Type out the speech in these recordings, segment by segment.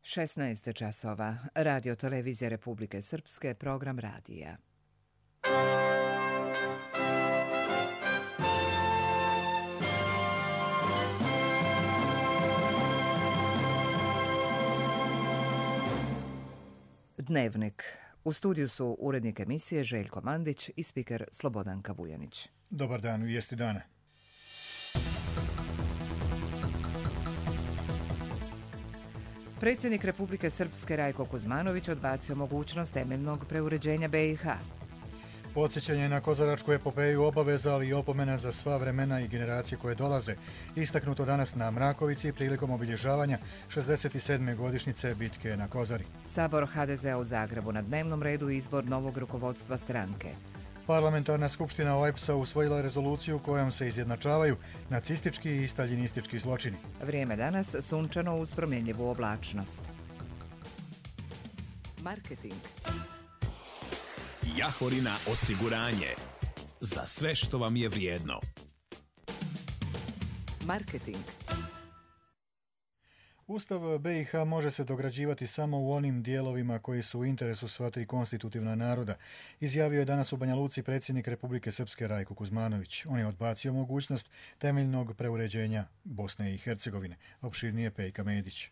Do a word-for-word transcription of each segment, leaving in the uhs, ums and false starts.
šesnaest časova. Radio televizije Republike Srpske, program radija. Dnevnik. U studiju su urednik emisije Željko Mandić i spiker Slobodanka Vujanić. Dobar dan, vijesti dana. Predsjednik Republike Srpske Rajko Kuzmanović odbacio mogućnost temeljnog preuređenja be i ha. Podsjećanje na kozaračku epopeju obaveza, ali i opomena za sva vremena i generacije koje dolaze. Istaknuto danas na Mrakovici prilikom obilježavanja šezdeset sedme godišnjice bitke na Kozari. Sabor ha de zea u Zagrebu na dnevnom redu izbor novog rukovodstva stranke. Parlamentarna skupština o e pe es a usvojila rezoluciju kojom se izjednačavaju nacistički i staljinistički zločini. Vrijeme danas sunčano uz promjenjivu oblačnost. Marketing. Jahorina osiguranje. Za sve što vam je vrijedno. Marketing. Ustav be i ha može se dograđivati samo u onim dijelovima koji su u interesu sva tri konstitutivna naroda, izjavio je danas u Banja Luci predsjednik Republike Srpske Rajko Kuzmanović. On je odbacio mogućnost temeljnog preuređenja Bosne i Hercegovine. Opširnije Pejka Medić.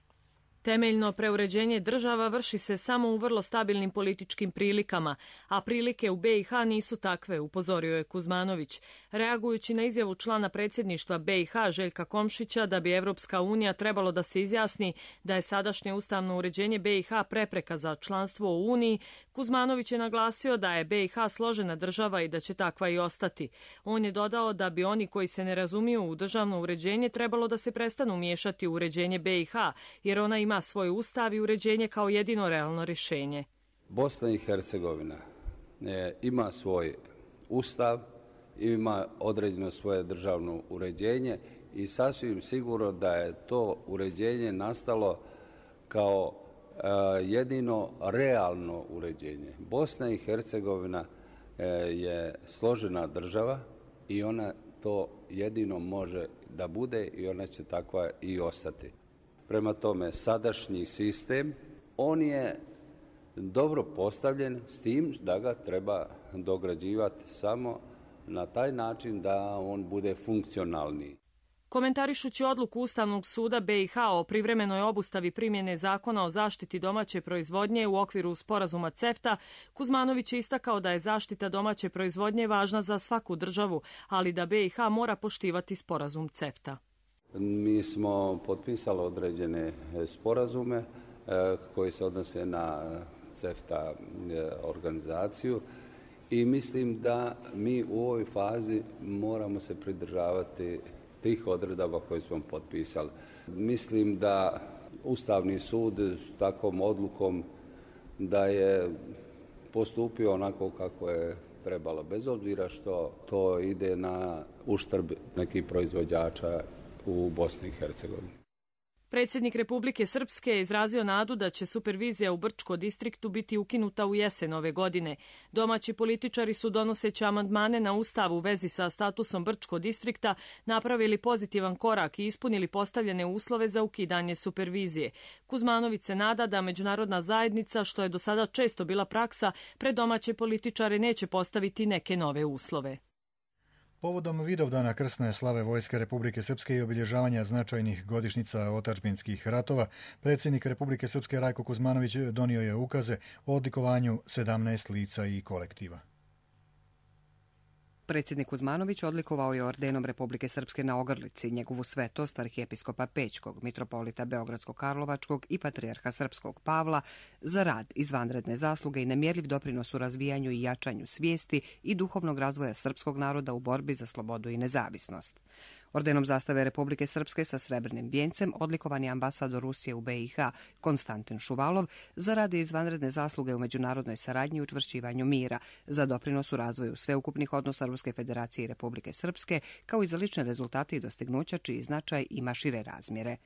Temeljno preuređenje država vrši se samo u vrlo stabilnim političkim prilikama, a prilike u be i ha nisu takve, upozorio je Kuzmanović, reagujući na izjavu člana predsjedništva be i ha Željka Komšića da bi Evropska unija trebalo da se izjasni da je sadašnje ustavno uređenje be i ha prepreka za članstvo u Uniji. Kuzmanović je naglasio da je be i ha složena država i da će takva i ostati. On je dodao da bi oni koji se ne razumiju u državno uređenje trebalo da se prestanu miješati u uređenje be i ha, jer ona ima svoj ustav i uređenje kao jedino realno rješenje. Bosna i Hercegovina e, ima svoj ustav, ima određeno svoje državno uređenje i sasvim sigurno da je to uređenje nastalo kao e, jedino realno uređenje. Bosna i Hercegovina e, je složena država i ona to jedino može da bude i ona će takva i ostati. Prema tome, sadašnji sistem, on je dobro postavljen s tim da ga treba dograđivati samo na taj način da on bude funkcionalniji. Komentarišući odluku Ustavnog suda be i ha o privremenoj obustavi primjene zakona o zaštiti domaće proizvodnje u okviru sporazuma cefta, Kuzmanović je istakao da je zaštita domaće proizvodnje važna za svaku državu, ali da be i ha mora poštivati sporazum cefta. Mi smo potpisali određene sporazume koji se odnose na cefta organizaciju i mislim da mi u ovoj fazi moramo se pridržavati tih odredaba koje smo potpisali. Mislim da Ustavni sud s takvom odlukom da je postupio onako kako je trebalo, bez obzira što to ide na uštrb nekih proizvođača u Bosni i Hercegovini. Predsjednik Republike Srpske je izrazio nadu da će supervizija u Brčko distriktu biti ukinuta u jesen ove godine. Domaći političari su, donoseći amandmane na ustav u vezi sa statusom Brčko distrikta, napravili pozitivan korak i ispunili postavljene uslove za ukidanje supervizije. Kuzmanović se nada da međunarodna zajednica, što je do sada često bila praksa, pred domaće političare neće postaviti neke nove uslove. Povodom Vidovdana krsne slave Vojske Republike Srpske i obilježavanja značajnih godišnjica otadžbinskih ratova, predsjednik Republike Srpske Rajko Kuzmanović donio je ukaze o odlikovanju sedamnaest lica i kolektiva. Predsjednik Kuzmanović odlikovao je ordenom Republike Srpske na Ogrlici njegovu svetost arhijepiskopa Pećkog, mitropolita Beogradsko-Karlovačkog i patrijarha Srpskog Pavla za rad, izvanredne zasluge i nemjerljiv doprinos u razvijanju i jačanju svijesti i duhovnog razvoja srpskog naroda u borbi za slobodu i nezavisnost. Ordenom zastave Republike Srpske sa srebrnim vijencem odlikovan je ambasador Rusije u be i ha Konstantin Šuvalov za rad i izvanredne zasluge u međunarodnoj saradnji i učvršćivanju mira, za doprinos u razvoju sveukupnih odnosa Ruske federacije i Republike Srpske, kao i za lične rezultate i dostignuća čiji značaj ima šire razmjere.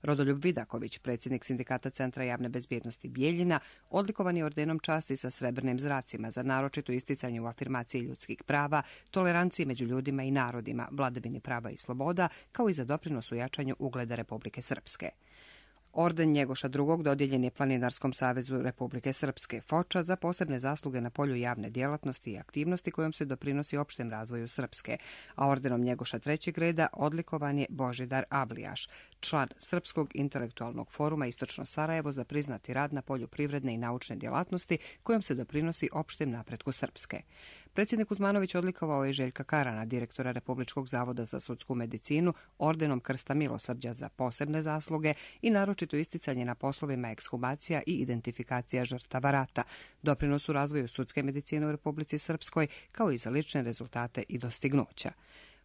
Rodoljub Vidaković, predsjednik Sindikata Centra javne bezbjednosti Bijeljina, odlikovan je ordenom časti sa srebrnim zracima za naročito isticanje u afirmaciji ljudskih prava, toleranciji među ljudima i narodima, vladavini prava i sloboda, kao i za doprinos u jačanju ugleda Republike Srpske. Orden Njegoša drugog dodijeljen je Planinarskom savezu Republike Srpske, Foča, za posebne zasluge na polju javne djelatnosti i aktivnosti kojom se doprinosi opštem razvoju Srpske, a ordenom Njegoša trećeg reda odlikovan je Božidar Ablijaš, član Srpskog intelektualnog foruma Istočno Sarajevo za priznati rad na polju privredne i naučne djelatnosti kojom se doprinosi opštem napretku Srpske. Predsjednik Kuzmanović odlikovao je Željka Karana, direktora Republičkog zavoda za sudsku medicinu, ordenom Krsta milosrđa za posebne zasluge i naročito isticanje na poslovima ekshumacija i identifikacija žrtava rata, doprinos u razvoju sudske medicine u Republici Srpskoj, kao i za lične rezultate i dostignuća.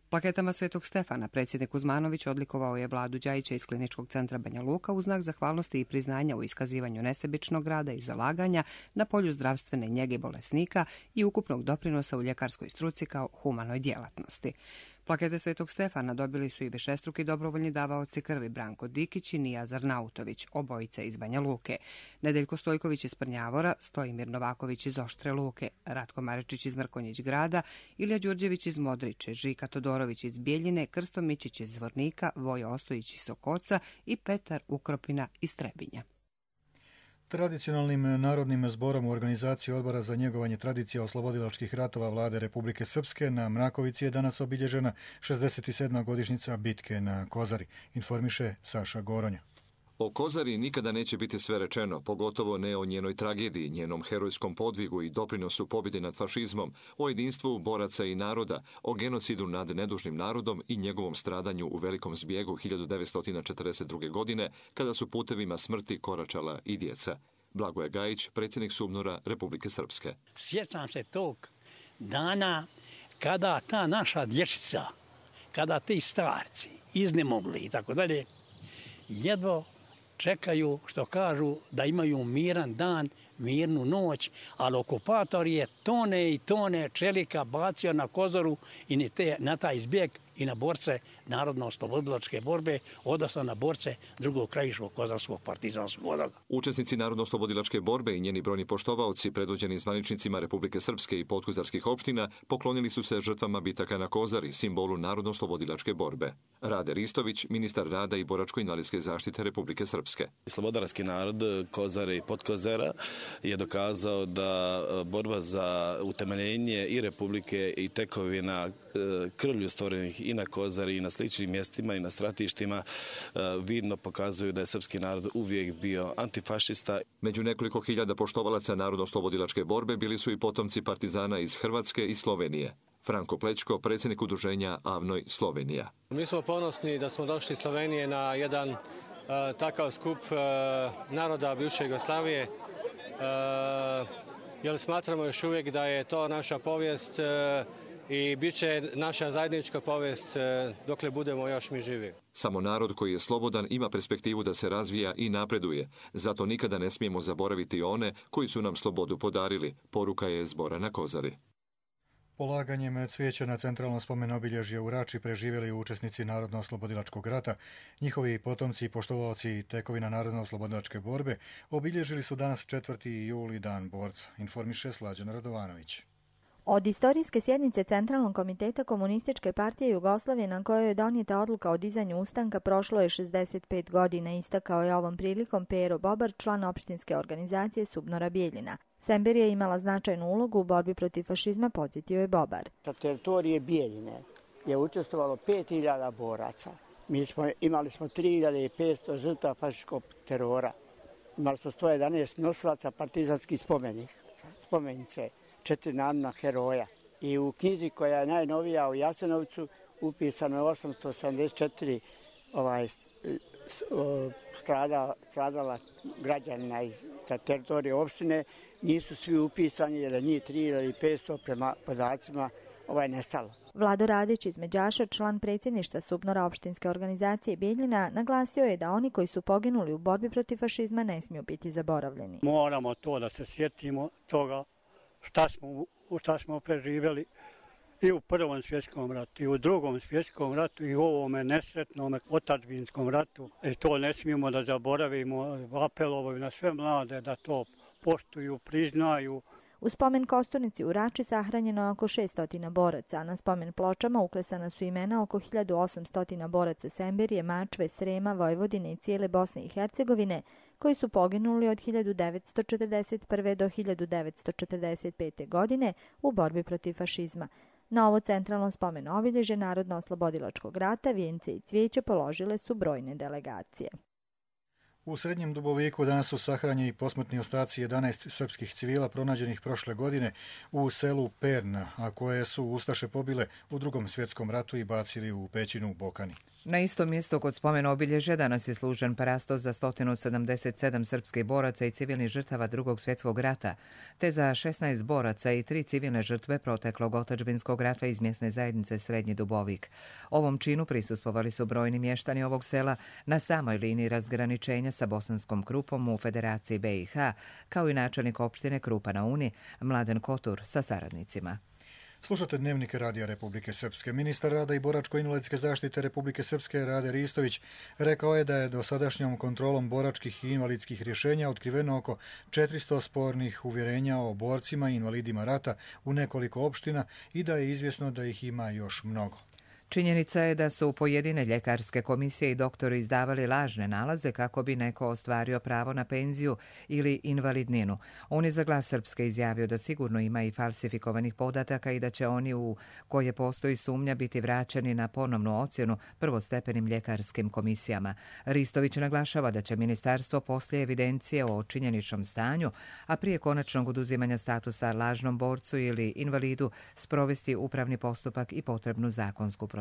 Plaketama Svetog Stefana predsjednik Kuzmanović odlikovao je Vladu Đajića iz Kliničkog centra Banja Luka u znak zahvalnosti i priznanja u iskazivanju nesebičnog rada i zalaganja na polju zdravstvene njege bolesnika i ukupnog doprinosa u ljekarskoj struci kao humanoj djelatnosti. Plakete Svetog Stefana dobili su i višestruki dobrovoljni davaoci krvi Branko Dikić i Nijazar Nautović, obojice iz Banja Luke, Nedeljko Stojković iz Prnjavora, Stojimir Novaković iz Oštre Luke, Ratko Marečić iz Mrkonjić grada, Ilija Đurđević iz Modriče, Žika Todorović iz Bijeljine, Krsto Mičić iz Zvornika, Vojo Ostojić iz Sokoca i Petar Ukropina iz Trebinja. Tradicionalnim narodnim zborom u organizaciji Odbora za njegovanje tradicija oslobodilačkih ratova Vlade Republike Srpske na Mrakovici je danas obilježena šezdeset sedma godišnjica bitke na Kozari, informiše Saša Goronja. O Kozari nikada neće biti sve rečeno, pogotovo ne o njenoj tragediji, njenom herojskom podvigu i doprinosu pobjede nad fašizmom, o jedinstvu boraca i naroda, o genocidu nad nedužnim narodom i njegovom stradanju u velikom zbjegu hiljadu devetsto četrdeset druge. godine, kada su putevima smrti koračala i djeca. Blagoje Gajić, predsjednik SUBNOR-a Republike Srpske. Sjećam se tog dana kada ta naša dječica, kada ti starci iznemogli i tako dalje, jedva čekaju, što kažu, da imaju miran dan, mirnu noć, ali okupator je tone i tone čelika bacio na Kozoru i na, te, na taj zbjeg i na borce Narodno-oslobodilačke borbe, odnosno na borce drugog krajiškog kozarskog partizanskog odreda. Učesnici Narodno-oslobodilačke borbe i njeni brojni poštovaoci, predvođeni zvaničnicima Republike Srpske i podkozarskih opština, poklonili su se žrtvama bitaka na Kozari, simbolu Narodno-oslobodilačke borbe. Rade Ristović, ministar rada i boračko-invalidske zaštite Republike Srpske. Slobodarski narod Kozare i podkozara je dokazao da borba za utemeljenje i Republike i tekovina krvlju stvorenih i na Kozari i na sličnim mjestima i na stratištima vidno pokazuju da je srpski narod uvijek bio antifašista. Među nekoliko hiljada poštovalaca Narodno-oslobodilačke borbe bili su i potomci partizana iz Hrvatske i Slovenije. Franko Plećko, predsjednik udruženja Avnoj Slovenija. Mi smo ponosni da smo došli iz Slovenije na jedan uh, takav skup uh, naroda bivše Jugoslavije, uh, jer smatramo još uvijek da je to naša povijest uh, i bit će naša zajednička povijest dokle budemo još mi živi. Samo narod koji je slobodan ima perspektivu da se razvija i napreduje. Zato nikada ne smijemo zaboraviti one koji su nam slobodu podarili. Poruka je zbora na Kozari. Polaganjem cvijeća na centralno spomen obilježje u Rači preživjeli učesnici Narodno-oslobodilačkog rata. Njihovi potomci i poštovaoci tekovina Narodno-oslobodilačke borbe obilježili su danas četvrti juli dan borca, informiše Slađan Radovanović. Od istorijske sjednice Centralnog komiteta Komunističke partije Jugoslavije na kojoj je donijeta odluka o dizanju ustanka prošlo je šezdeset pet godina, istakao je ovom prilikom Pero Bobar, član opštinske organizacije SUBNOR-a Bijeljina. Sember je imala značajnu ulogu u borbi protiv fašizma, podsjetio je Bobar. Sa teritorije Bijeljine je učestvovalo pet hiljada boraca. Mi smo, imali smo tri hiljade petsto žrtava fašističkog terora. Imali smo sto jedanaest nosilaca partizanskih spomenih, spomenice. Četiri narodna heroja. I u knjizi koja je najnovija u Jasenovcu upisano je osamsto sedamdeset četiri ovaj, strada, stradala građanina iz teritorije opštine. Nisu svi upisani jer je njih tri hiljade petsto prema podacima ovaj, nestalo. Vlado Radić iz Međaša, član predsjedništva SUBNOR-a opštinske organizacije Bijeljina, naglasio je da oni koji su poginuli u borbi protiv fašizma ne smiju biti zaboravljeni. Moramo to da se sjetimo toga šta smo, šta smo preživjeli i u Prvom svjetskom ratu, i u Drugom svjetskom ratu, i u ovome nesretnom otadžbinskom ratu. E to ne smijemo da zaboravimo, apelovaju na sve mlade da to poštuju, priznaju. U spomen kosturnici u Rači sahranjeno je oko šesto boraca, a na spomen pločama uklesana su imena oko hiljadu osamsto boraca Semberije, Mačve, Srema, Vojvodine i cijele Bosne i Hercegovine, koji su poginuli od hiljadu devetsto četrdeset prve. do hiljadu devetsto četrdeset pete. godine u borbi protiv fašizma. Na ovo centralno spomen obilježje Narodno-oslobodilačkog rata vijence i cvijeće položile su brojne delegacije. U Srednjem Duboviku danas su sahranjeni posmrtni ostaci jedanaest srpskih civila pronađenih prošle godine u selu Perna, a koje su ustaše pobile u Drugom svjetskom ratu i bacili u pećinu u Bokani. Na istom mjestu kod spomen obilježja danas je služen parastos za sto sedamdeset sedam srpskih boraca i civilnih žrtava Drugog svjetskog rata, te za šesnaest boraca i tri civilne žrtve proteklog otadžbinskog rata iz mjesne zajednice Srednji Dubovik. Ovom činu prisustvovali su brojni mještani ovog sela na samoj liniji razgraničenja sa Bosanskom Krupom u Federaciji B i H, kao i načelnik opštine Krupa na Uni, Mladen Kotur, sa saradnicima. Slušate Dnevnik Radija Republike Srpske. Ministar rada i boračko-invalidske zaštite Republike Srpske Rade Ristović rekao je da je dosadašnjom kontrolom boračkih i invalidskih rješenja otkriveno oko četiristo spornih uvjerenja o borcima i invalidima rata u nekoliko opština i da je izvjesno da ih ima još mnogo. Činjenica je da su pojedine ljekarske komisije i doktori izdavali lažne nalaze kako bi neko ostvario pravo na penziju ili invalidninu. On je za Glas Srpske izjavio da sigurno ima i falsifikovanih podataka i da će oni u koje postoji sumnja biti vraćeni na ponovnu ocjenu prvostepenim ljekarskim komisijama. Ristović naglašava da će ministarstvo poslije evidencije o činjeničnom stanju, a prije konačnog oduzimanja statusa lažnom borcu ili invalidu, sprovesti upravni postupak i potrebnu zakonsku proceduru.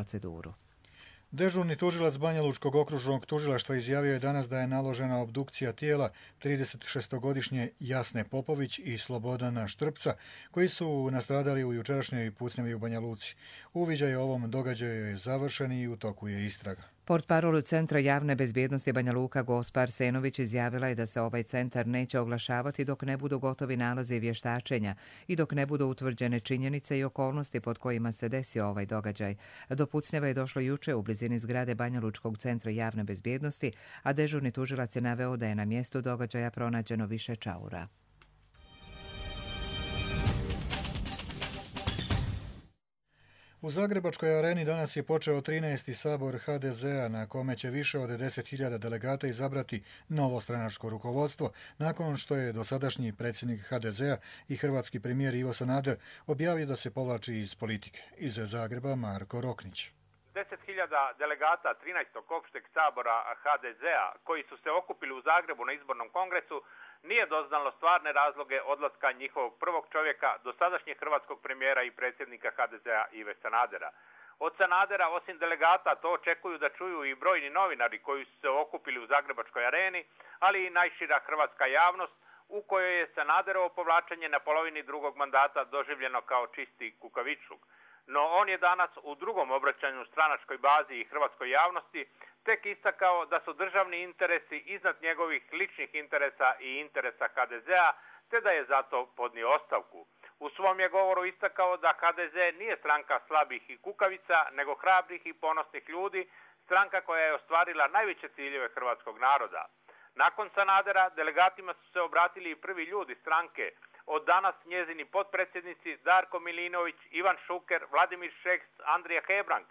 Dežurni tužilac Banjalučkog okružnog tužilaštva izjavio je danas da je naložena obdukcija tijela tridesetšestogodišnje Jasne Popović i Slobodana Štrpca, koji su nastradali u jučerašnjoj pucnjavi u Banja Luci. Uviđaj o ovom događaju je završen i u toku je istraga. Portparol Centra javne bezbjednosti Banja Luka Gospa Arsenović izjavila je da se ovaj centar neće oglašavati dok ne budu gotovi nalazi vještačenja i dok ne budu utvrđene činjenice i okolnosti pod kojima se desio ovaj događaj. Do pucnjava je došlo juče u blizini zgrade Banja Lučkog centra javne bezbjednosti, a dežurni tužilac je naveo da je na mjestu događaja pronađeno više čaura. U Zagrebačkoj areni danas je počeo trinaesti sabor ha de zea na kome će više od deset hiljada delegata izabrati novo stranačko rukovodstvo nakon što je dosadašnji predsjednik ha de zea i hrvatski premijer Ivo Sanader objavio da se povlači iz politike. Iz Zagreba Marko Roknić. deset hiljada delegata trinaestog opšteg sabora ha de zea koji su se okupili u Zagrebu na izbornom kongresu nije doznalo stvarne razloge odlaska njihovog prvog čovjeka, dosadašnjeg hrvatskog premijera i predsjednika ha de zea Ive Sanadera. Od Sanadera, osim delegata, to očekuju da čuju i brojni novinari koji su se okupili u Zagrebačkoj areni, ali i najšira hrvatska javnost, u kojoj je Sanaderovo povlačenje na polovini drugog mandata doživljeno kao čisti kukavičluk. No on je danas u drugom obraćanju stranačkoj bazi i hrvatskoj javnosti tek istakao da su državni interesi iznad njegovih ličnih interesa i interesa ha de zea, te da je zato podnio ostavku. U svom je govoru istakao da ha de ze nije stranka slabih i kukavica, nego hrabrih i ponosnih ljudi, stranka koja je ostvarila najveće ciljeve hrvatskog naroda. Nakon Sanadera delegatima su se obratili i prvi ljudi stranke, od danas njezini potpredsjednici Darko Milinović, Ivan Šuker, Vladimir Šeks, Andrija Hebrang.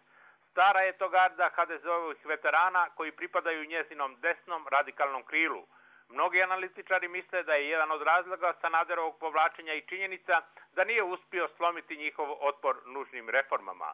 Stara je to garda ha de zeovih veterana koji pripadaju njezinom desnom radikalnom krilu. Mnogi analitičari misle da je jedan od razloga Sanaderovog povlačenja i činjenica da nije uspio slomiti njihov otpor nužnim reformama.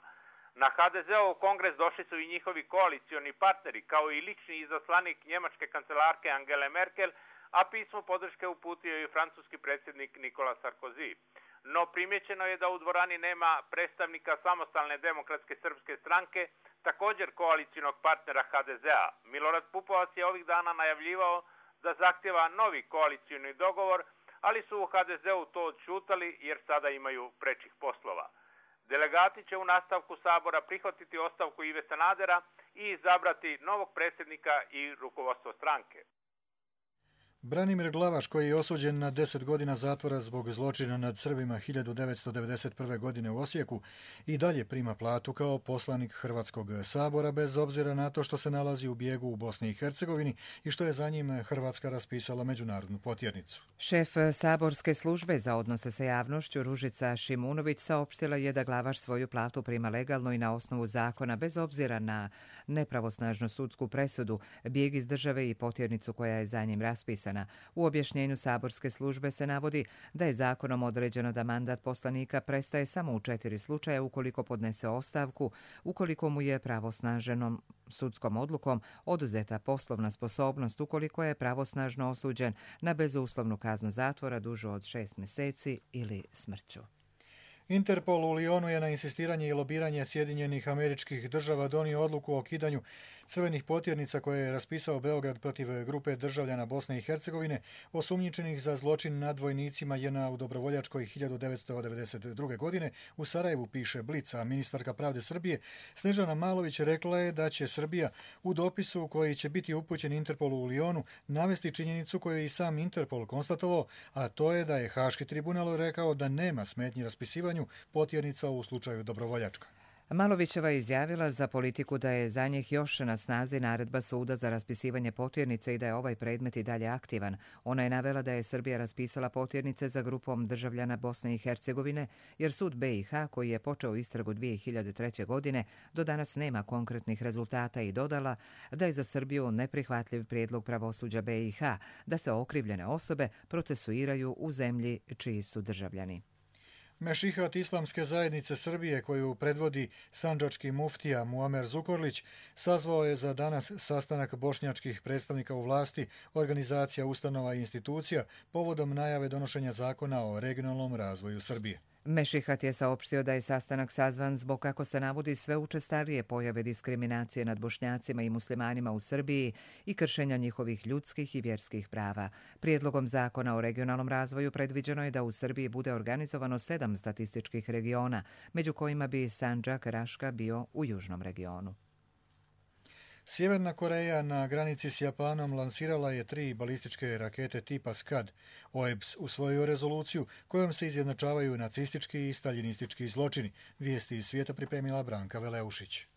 Na ha de zeov kongres došli su i njihovi koalicioni partneri, kao i lični izaslanik njemačke kancelarke Angele Merkel, a pismo podrške uputio i francuski predsjednik Nicolas Sarkozy. No primjećeno je da u dvorani nema predstavnika samostalne demokratske srpske stranke, također koalicijonog partnera ha de zea. Milorad Pupovac je ovih dana najavljivao da zahtjeva novi koalicijoni dogovor, ali su u ha de zeu to odšutali jer sada imaju prečih poslova. Delegati će u nastavku sabora prihvatiti ostavku Ive Sanadera i izabrati novog predsjednika i rukovodstvo stranke. Branimir Glavaš, koji je osuđen na deset godina zatvora zbog zločina nad Srbima hiljadu devetsto devedeset prve. godine u Osijeku, i dalje prima platu kao poslanik Hrvatskog sabora bez obzira na to što se nalazi u bijegu u Bosni i Hercegovini i što je za njim Hrvatska raspisala međunarodnu potjernicu. Šef saborske službe za odnose sa javnošću Ružica Šimunović saopštila je da Glavaš svoju platu prima legalno i na osnovu zakona bez obzira na nepravosnažnu sudsku presudu, bijeg iz države i potjernicu koja je za njim raspisana. U objašnjenju saborske službe se navodi da je zakonom određeno da mandat poslanika prestaje samo u četiri slučaja ukoliko podnese ostavku, ukoliko mu je pravosnaženom sudskom odlukom oduzeta poslovna sposobnost, ukoliko je pravosnažno osuđen na bezuslovnu kaznu zatvora dužu od šest mjeseci ili smrću. Interpol u Lyonu je na insistiranje i lobiranje Sjedinjenih Američkih Država donio odluku o kidanju crvenih potjernica koje je raspisao Beograd protiv grupe državljana Bosne i Hercegovine osumnjičenih za zločin nad vojnicima J N A u Dobrovoljačkoj hiljadu devetsto devedeset druge. godine u Sarajevu, piše Blic, a ministarka pravde Srbije Snežana Malović rekla je da će Srbija u dopisu koji će biti upućen Interpolu u Lyonu navesti činjenicu koju je i sam Interpol konstatovao, a to je da je Haški tribunal rekao da nema smetnji raspisivanju potjernica u slučaju Dobrovoljačka. Malovićeva je izjavila za Politiku da je za njih još na snazi naredba suda za raspisivanje potjernice i da je ovaj predmet i dalje aktivan. Ona je navela da je Srbija raspisala potjernice za grupom državljana Bosne i Hercegovine, jer sud B i H, koji je počeo istragu dvije hiljade treće. godine, do danas nema konkretnih rezultata i dodala da je za Srbiju neprihvatljiv prijedlog pravosuđa B i H da se okrivljene osobe procesuiraju u zemlji čiji su državljani. Mešihat Islamske zajednice Srbije, koju predvodi sandžački muftija Muamer Zukorlić, sazvao je za danas sastanak bošnjačkih predstavnika u vlasti, organizacija, ustanova i institucija povodom najave donošenja zakona o regionalnom razvoju Srbije. Mešihat je saopštio da je sastanak sazvan zbog, kako se navodi, sve učestalije pojave diskriminacije nad Bošnjacima i muslimanima u Srbiji i kršenja njihovih ljudskih i vjerskih prava. Prijedlogom zakona o regionalnom razvoju predviđeno je da u Srbiji bude organizovano sedam statističkih regiona, među kojima bi Sandžak Raška bio u južnom regionu. Sjeverna Koreja na granici s Japanom lansirala je tri balističke rakete tipa Skad. O E B S usvojio rezoluciju kojom se izjednačavaju nacistički i staljinistički zločini. Vijesti iz svijeta pripremila Branka Veleušić.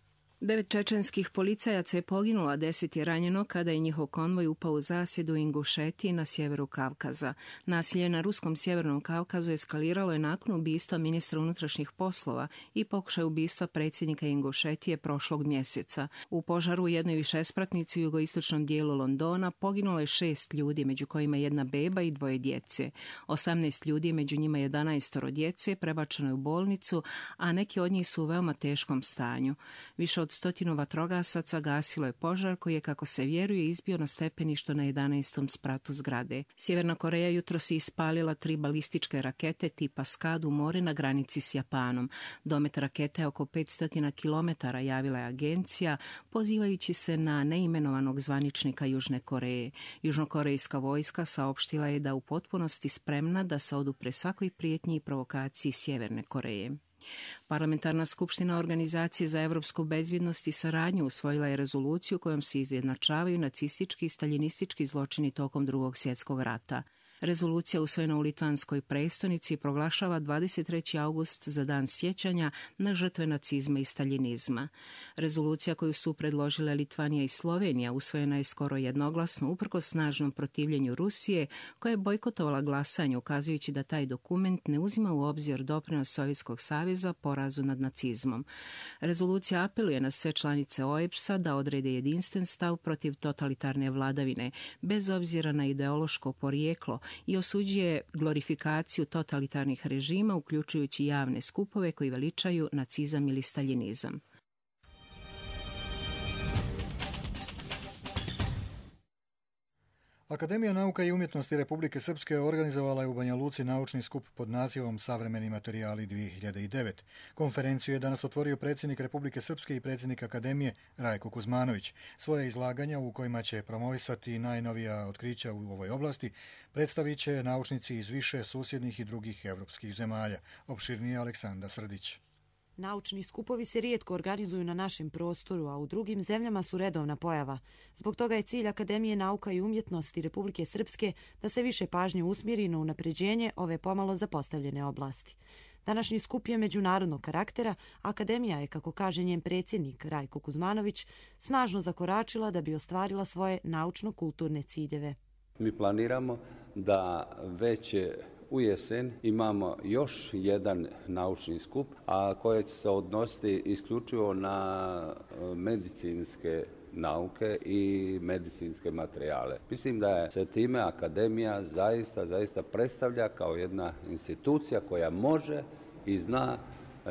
Devet čečenskih policajaca je poginulo, a deset je ranjeno kada je njihov konvoj upao u zasjedu u Ingušetiji na sjeveru Kavkaza. Nasilje na ruskom sjevernom Kavkazu eskaliralo je nakon ubistva ministra unutrašnjih poslova i pokušaj ubistva predsjednika Ingušetije prošlog mjeseca. U požaru u jednoj višespratnici u jugoistočnom dijelu Londona poginulo je šest ljudi, među kojima jedna beba i dvoje djece. osamnaest ljudi, među njima jedanaestoro djece, prebačeno je u bolnicu, a neki od njih su u veoma teškom stanju. Više od stotinu vatrogasaca gasilo je požar koji je, kako se vjeruje, izbio na stepeništu na jedanaestom spratu zgrade. Sjeverna Koreja jutro si ispalila tri balističke rakete tipa Skad u more na granici s Japanom. Domet rakete je oko petsto kilometara, javila je agencija, pozivajući se na neimenovanog zvaničnika Južne Koreje. Južnokorejska vojska saopštila je da u potpunosti spremna da se odupre svakoj prijetnji i provokaciji Sjeverne Koreje. Parlamentarna skupština Organizacije za evropsku bezbjednost i saradnju usvojila je rezoluciju kojom se izjednačavaju nacistički i staljinistički zločini tokom Drugog svjetskog rata. Rezolucija usvojena u litvanskoj prestonici proglašava dvadeset treći august za dan sjećanja na žrtve nacizma i staljinizma. Rezolucija koju su predložile Litvanija i Slovenija usvojena je skoro jednoglasno uprkos snažnom protivljenju Rusije, koja je bojkotovala glasanje, ukazujući da taj dokument ne uzima u obzir doprinos Sovjetskog saveza porazu nad nacizmom. Rezolucija apeluje na sve članice O E B S-a da odrede jedinstven stav protiv totalitarne vladavine, bez obzira na ideološko porijeklo, i osuđuje glorifikaciju totalitarnih režima, uključujući javne skupove koji veličaju nacizam ili staljinizam. Akademija nauka i umjetnosti Republike Srpske organizovala je u Banja Luci naučni skup pod nazivom Savremeni materijali dvije hiljade devet. Konferenciju je danas otvorio predsjednik Republike Srpske i predsjednik Akademije Rajko Kuzmanović. Svoje izlaganja, u kojima će promovisati najnovija otkrića u ovoj oblasti, predstavit će naučnici iz više susjednih i drugih evropskih zemalja. Opširnije Aleksandra Srdić. Naučni skupovi se rijetko organizuju na našem prostoru, a u drugim zemljama su redovna pojava. Zbog toga je cilj Akademije nauka i umjetnosti Republike Srpske da se više pažnje usmjeri na unapređenje ove pomalo zapostavljene oblasti. Današnji skup je međunarodnog karaktera, Akademija je, kako kaže njen predsjednik Rajko Kuzmanović, snažno zakoračila da bi ostvarila svoje naučno-kulturne ciljeve. Mi planiramo da već u jesen imamo još jedan naučni skup, a koji će se odnositi isključivo na medicinske nauke i medicinske materijale. Mislim da je se time Akademija zaista, zaista predstavlja kao jedna institucija koja može i zna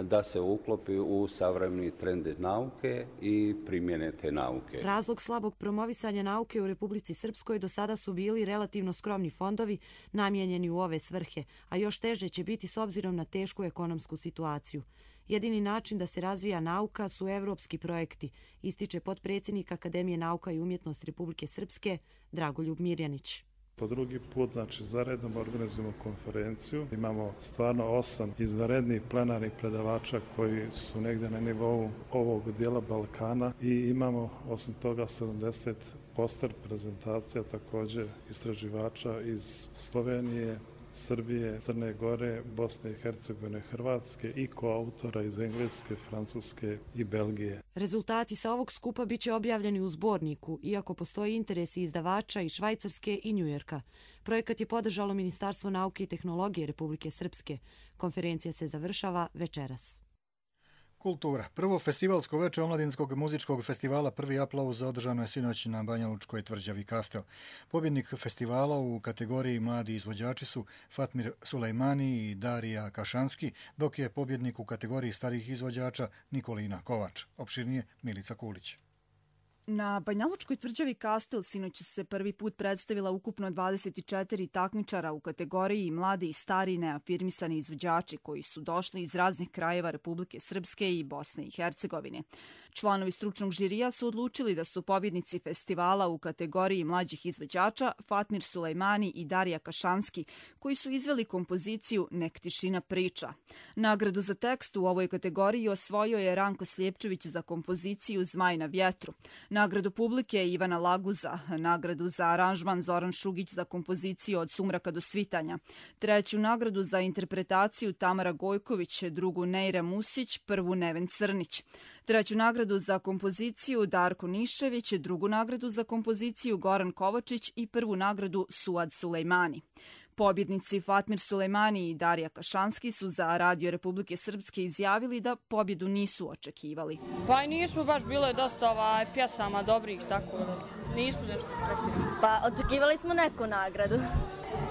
da se uklopi u savremeni trend nauke i primjene te nauke. Razlog slabog promovisanja nauke u Republici Srpskoj do sada su bili relativno skromni fondovi namijenjeni u ove svrhe, a još teže će biti s obzirom na tešku ekonomsku situaciju. Jedini način da se razvija nauka su evropski projekti, ističe potpredsjednik Akademije nauka i umjetnosti Republike Srpske Dragoljub Mirjanić. Po drugi put, znači, zaredom organizujemo konferenciju. Imamo stvarno osam izvanrednih plenarnih predavača koji su negdje na nivou ovog dijela Balkana i imamo osim toga sedamdeset poster prezentacija također istraživača iz Slovenije, Srbije, Crne Gore, Bosne i Hercegovine, Hrvatske i koautora iz Engleske, Francuske i Belgije. Rezultati sa ovog skupa bit će objavljeni u zborniku, iako postoji interes i izdavača i Švajcarske i Njujorka. Projekat je podržalo Ministarstvo nauke i tehnologije Republike Srpske. Konferencija se završava večeras. Kultura. Prvo festivalsko veče omladinskog muzičkog festivala Prvi aplauz održano je sinoć na Banjalučkoj tvrđavi Kastel. Pobjednik festivala u kategoriji mladi izvođači su Fatmir Sulejmani i Darija Kašanski, dok je pobjednik u kategoriji starih izvođača Nikolina Kovač. Opširnije Milica Kulić. Na Banjalučkoj tvrđavi Kastel sinoć se prvi put predstavila ukupno dvadeset četiri takmičara u kategoriji mladi i stari neafirmisani izvođači koji su došli iz raznih krajeva Republike Srpske i Bosne i Hercegovine. Članovi stručnog žirija su odlučili da su pobjednici festivala u kategoriji mlađih izvođača Fatmir Sulejmani i Darija Kašanski, koji su izveli kompoziciju Nek tišina priča. Nagradu za tekst u ovoj kategoriji osvojio je Ranko Sljepčević za kompoziciju Zmaj na vjetru. Nagradu publike Ivana Laguza, nagradu za aranžman Zoran Šugić za kompoziciju Od sumraka do svitanja, treću nagradu za interpretaciju Tamara Gojković, drugu Nejra Musić, prvu Neven Crnić, treću nagradu za kompoziciju Darko Nišević, drugu nagradu za kompoziciju Goran Kovačić i prvu nagradu Suad Sulejmani. Pobjednici Fatmir Sulejmani i Darija Kašanski su za Radio Republike Srpske izjavili da pobjedu nisu očekivali. Pa i nismo baš, bilo je dosta ovaj, pjesama dobrih, tako da nismo nešto pretjerali. Pa očekivali smo neku nagradu.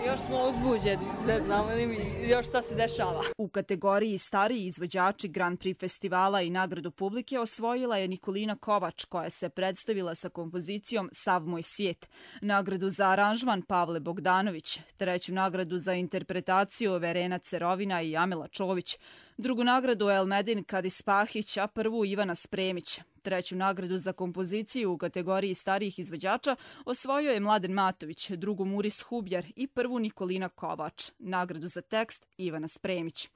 Još smo uzbuđeni, ne znamo li mi još šta se dešava. U kategoriji stariji izvođači Grand Prix festivala i nagradu publike osvojila je Nikolina Kovač, koja se predstavila sa kompozicijom Sav moj svijet. Nagradu za aranžman Pavle Bogdanović, treću nagradu za interpretaciju Verena Cerovina i Amela Čović, drugu nagradu Elmedin Kadispahić, a prvu Ivana Spremić. Treću nagradu za kompoziciju u kategoriji starijih izvođača osvojio je Mladen Matović, drugu Muris Hubjar i prvu Nikolina Kovač. Nagradu za tekst Ivana Spremić.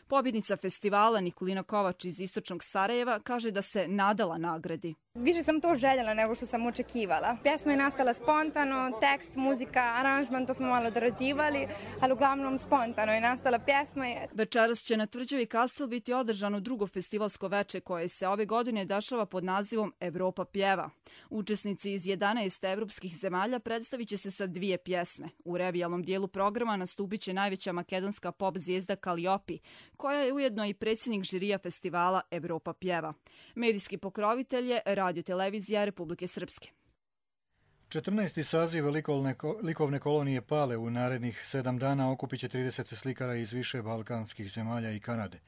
Pobjednica festivala Nikolina Kovač iz istočnog Sarajeva kaže da se nadala nagradi. Više sam to željela nego što sam očekivala. Pjesma je nastala spontano, tekst, muzika, aranžman, to smo malo dorađivali, ali uglavnom spontano je nastala pjesma. Večeras će na tvrđavi Kastel biti održano drugo festivalsko veče koje se ove godine dešava pod nazivom Evropa pjeva. Učesnici iz jedanaest evropskih zemalja predstavit će se sa dvije pjesme. U revijalnom dijelu programa nastupit će najveća makedonska pop zvijezda Kaliopi, koja je ujedno i predsjednik žirija festivala Evropa pjeva. Medijski pokrovitelj je Radio-televizija Republike Srpske. četrnaesti saziv likovne, likovne kolonije Pale u narednih sedam dana okupit će trideset slikara iz više balkanskih zemalja i Kanade.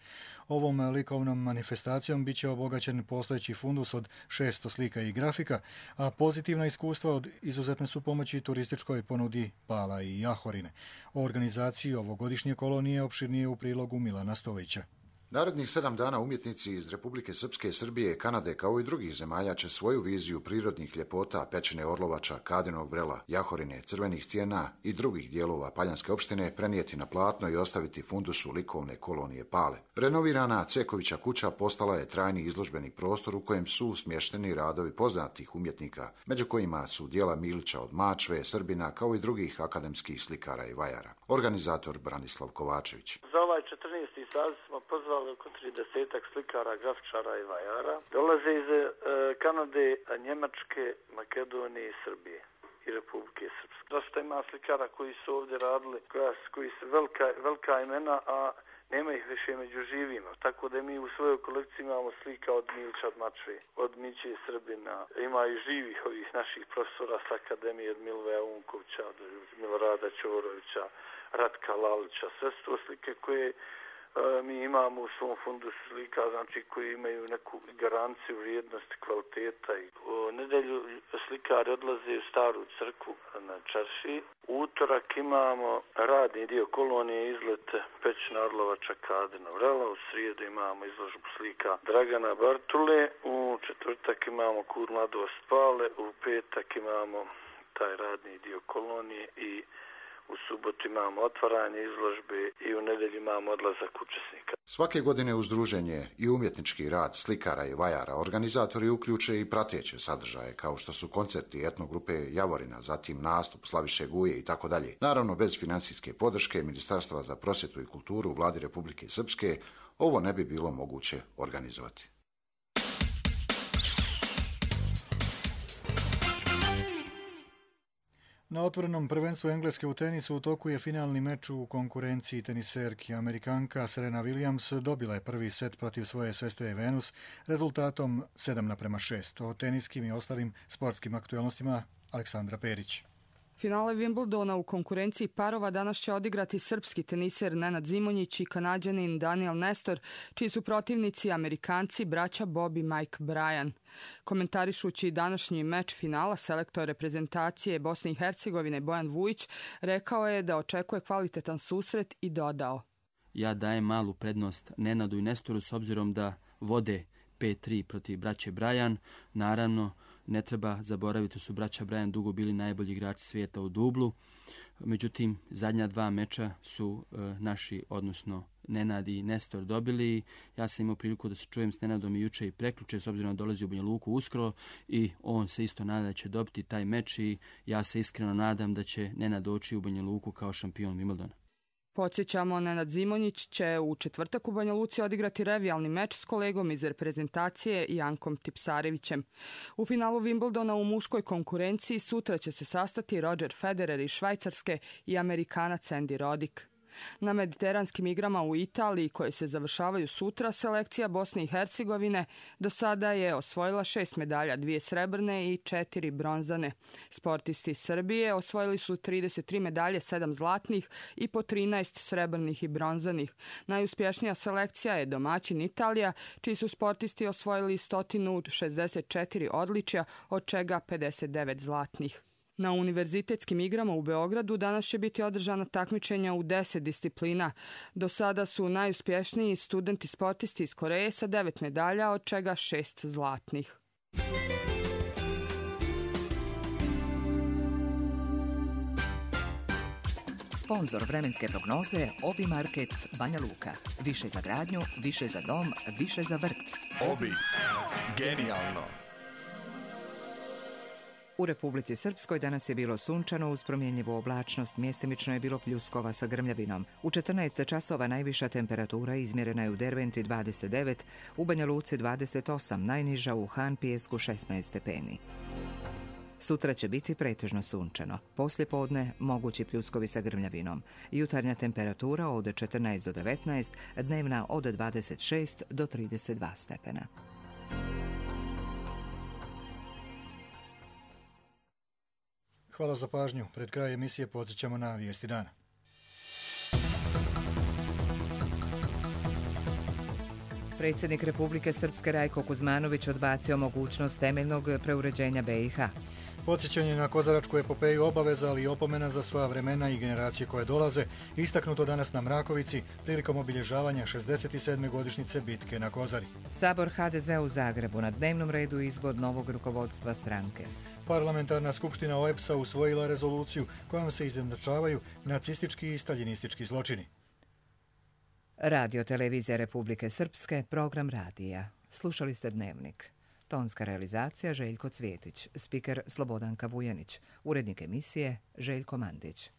Ovom likovnom manifestacijom bit će obogaćen postojeći fundus od šesto slika i grafika, a pozitivna iskustva od izuzetne su pomoći turističkoj ponudi Pala i Jahorine. O organizaciji ovogodišnje kolonije opširnije u prilogu Milana Stovića. Narednih sedam dana umjetnici iz Republike Srpske, Srbije, Kanade kao i drugih zemalja će svoju viziju prirodnih ljepota Pećine Orlovača, Kadinog vrela, Jahorine, Crvenih stijena i drugih dijelova Paljanske opštine prenijeti na platno i ostaviti fundusu likovne kolonije Pale. Renovirana Cekovića kuća postala je trajni izložbeni prostor u kojem su smješteni radovi poznatih umjetnika, među kojima su dijela Milića od Mačve, Srbina kao i drugih akademskih slikara i vajara. Organizator Branislav Kovačević. Za ovaj četrnaesti saziv smo pozvali oko tridesetak slikara, grafičara i vajara. Dolaze iz e, Kanade, Njemačke, Makedonije i Srbije i Republike Srpske. Dosta ima slikara koji su ovdje radili, koja, koji su velika, velika imena, a nema ih više među živima. Tako da mi u svojoj kolekciji imamo slika od Milića od Mačve, od Miće Srbina. Ima i živih ovih naših profesora s akademije, od Milveja Unkovića, od Milorada Ćorovića, Ratka Lalića. Sve su to slike koje e, mi imamo u svom fundusu slika, znači koji imaju neku garanciju vrijednosti, kvaliteta. I u nedelju slikari odlaze u Staru crkvu na čarši. U utorak imamo radni dio kolonije, izlet Pećina Orlovača, Kadinog vrela. U srijedu imamo izložbu slika Dragana Bartule. U četvrtak imamo Kur mladost Pale. U petak imamo taj radni dio kolonije i u subotu imamo otvaranje izložbe i u nedelju imamo odlazak učesnika. Svake godine uz druženje i umjetnički rad slikara i vajara organizatori uključe i prateće sadržaje kao što su koncerti etnogrupe Javorina, zatim nastup Slaviše Guje i tako dalje. Naravno, bez financijske podrške Ministarstva za prosvjetu i kulturu Vladi Republike Srpske ovo ne bi bilo moguće organizovati. Na otvorenom prvenstvu Engleske u tenisu u toku je finalni meč u konkurenciji teniserki. Amerikanka Serena Williams dobila je prvi set protiv svoje sestre Venus rezultatom sedam naprema šest. O teniskim i ostalim sportskim aktualnostima Aleksandra Perić. Finale Wimbledona u konkurenciji parova danas će odigrati srpski teniser Nenad Zimonjić i Kanađanin Daniel Nestor, čiji su protivnici Amerikanci braća Bob i Mike Bryan. Komentarišući današnji meč finala, selektor reprezentacije Bosne i Hercegovine Bojan Vujić rekao je da očekuje kvalitetan susret i dodao: Ja dajem malu prednost Nenadu i Nestoru s obzirom da vode pet tri protiv braće Bryan. Naravno, ne treba zaboraviti da su braća Bryan dugo bili najbolji igrači svijeta u dublu. Međutim, zadnja dva meča su e, naši, odnosno Nenad i Nestor dobili. Ja sam imao priliku da se čujem s Nenadom i juče i prekjuče, s obzirom da dolazi u Banja Luku uskoro i on se isto nada da će dobiti taj meč i ja se iskreno nadam da će Nenad doći u Banja Luku kao šampion Wimbledona. Podsjećamo, Nenad Zimonjić će u četvrtak u Banja Luci odigrati revijalni meč s kolegom iz reprezentacije Jankom Tipsarevićem. U finalu Wimbledona u muškoj konkurenciji sutra će se sastati Roger Federer iz Švajcarske i Amerikanac Andy Roddick. Na mediteranskim igrama u Italiji, koje se završavaju sutra, selekcija Bosne i Hercegovine do sada je osvojila šest medalja, dvije srebrne i četiri bronzane. Sportisti Srbije osvojili su trideset tri medalje, sedam zlatnih i po trinaest srebrnih i bronzanih. Najuspješnija selekcija je domaćin Italija, čiji su sportisti osvojili sto šezdeset četiri odličja, od čega pedeset devet zlatnih. Na univerzitetskim igrama u Beogradu danas će biti održana takmičenja u deset disciplina. Do sada su najuspješniji studenti sportisti iz Koreje sa devet medalja, od čega šest zlatnih. Sponzor vremenske prognoze Obi Market Banja Luka. Više za gradnju, više za dom, više za vrt. Obi. Genijalno. U Republici Srpskoj danas je bilo sunčano uz promjenjivu oblačnost, mjestimično je bilo pljuskova sa grmljavinom. U četrnaest časova najviša temperatura izmjerena je u Derventi dvadeset devet, u Banja Luci dvadeset osam, najniža u Han Pijesku šesnaest stepeni. Sutra će biti pretežno sunčano. Poslije podne mogući pljuskovi sa grmljavinom. Jutarnja temperatura od četrnaest do devetnaest, dnevna od dvadeset šest do trideset dva stepena. Hvala za pažnju. Pred kraj emisije podsjećamo na vijesti dana. Predsjednik Republike Srpske Rajko Kuzmanović odbacio mogućnost temeljnog preuređenja B i H. Podsjećanje na kozaračku epopeju obaveza, ali i opomena za sva vremena i generacije koje dolaze, istaknuto danas na Mrakovici prilikom obilježavanja šezdeset sedme godišnjice bitke na Kozari. Sabor ha de ze u Zagrebu, na dnevnom redu izbor novog rukovodstva stranke. Parlamentarna skupština O E P S-a usvojila rezoluciju kojom se izjednačavaju nacistički i staljinistički zločini. Radio televizija Republike Srpske, program radija. Slušali ste Dnevnik. Tonska realizacija Željko Cvjetić, spiker Slobodanka Vujanić, urednik emisije Željko Mandić.